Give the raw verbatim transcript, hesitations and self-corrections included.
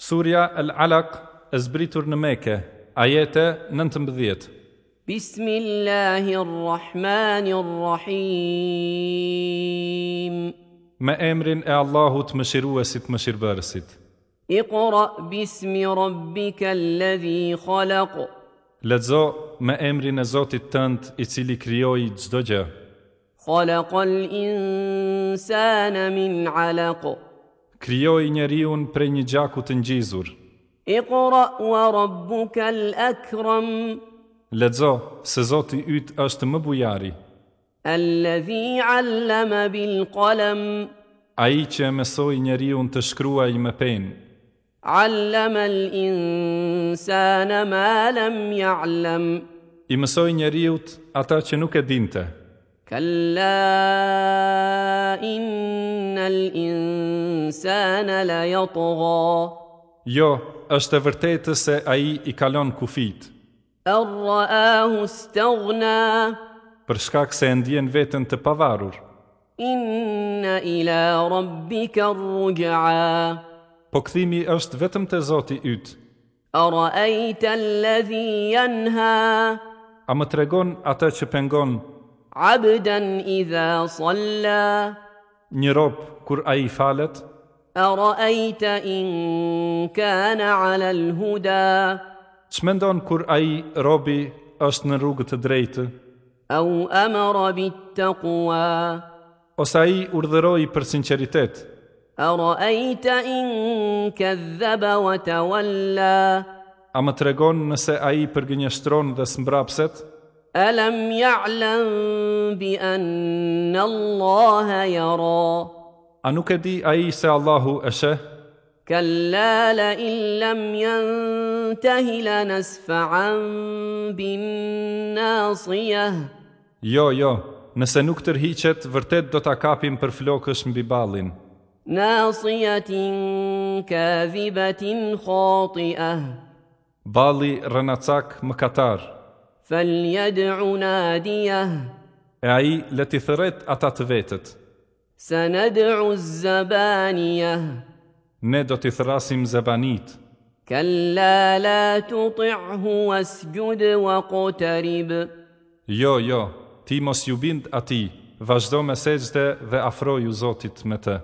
Surja Al-Alaq e zbritur në Mekë, ajete nëntëmbëdhjetë. Bismillahirrahmanirrahim. Me emrin e Allahut, mëshiruesit, mëshirbërësit. Iqra bismi rabbika alladhi khalaq. Lexo me emrin e Zotit tënd, i cili krijoi çdo gjë. Khalaqal insana min 'alaq. Krijoi njeriun prej një gjaku të ngjizur. Iqra wa rabbuka al-akram. Lexo se Zoti yt është më bujari. Alladhi 'allama bil qalam. Ai që e mësoi njeriun të shkruajë me penë. 'Allama al-insana ma lam ya'lam. I mësoi njeriut ata që nuk e dinte. Kalla innal insana la yatgha. Jo, është e vërtetë se ai i kalon kufit. An ra'ahu istaghna. Për shkak se e ndjen veten të pavarur. Inna ila rabbika ar-ruj'a. Po kthimi është vetëm te Zoti yt. Ara'ayta alladhi yanha. A më tregon atë që pengon? Abdan idha salla. Një rob kur ai falet. Ara'ayta in kana 'ala al-huda. Ç'mendon kur ai robi është në rrugë të drejtë? Au amara bit-taqwa. Ose ai urdhëroi për sinqeritet? Ara'ayta in kadhaba wa tawalla. A më tregon nëse ai përgënjeshtron dhe smbrapset? Alam ya'lam bi anna Allaha yara. A nuk e di ai se Allahu e sheh? Kalla la in lam yantahi lanasfa'an bin nasiyah. Jo, jo, nëse nuk tërhiqet, vërtet do ta kapim për flokësh mbi ballin. Nasiyatin kadhibatin khati'ah. Balli rrenacak mëkatar. Falyad'u nadiyah. E ai le t'i thërret ata të vetët. Sanad'u az-zabaniyah. Ne do t'i thërrasim zebanit. Kalla la tuti'hu wasjud waqtarib. Jo, jo, ti mos ju bind atij, vazhdo me sexhde dhe afroju Zotit me të.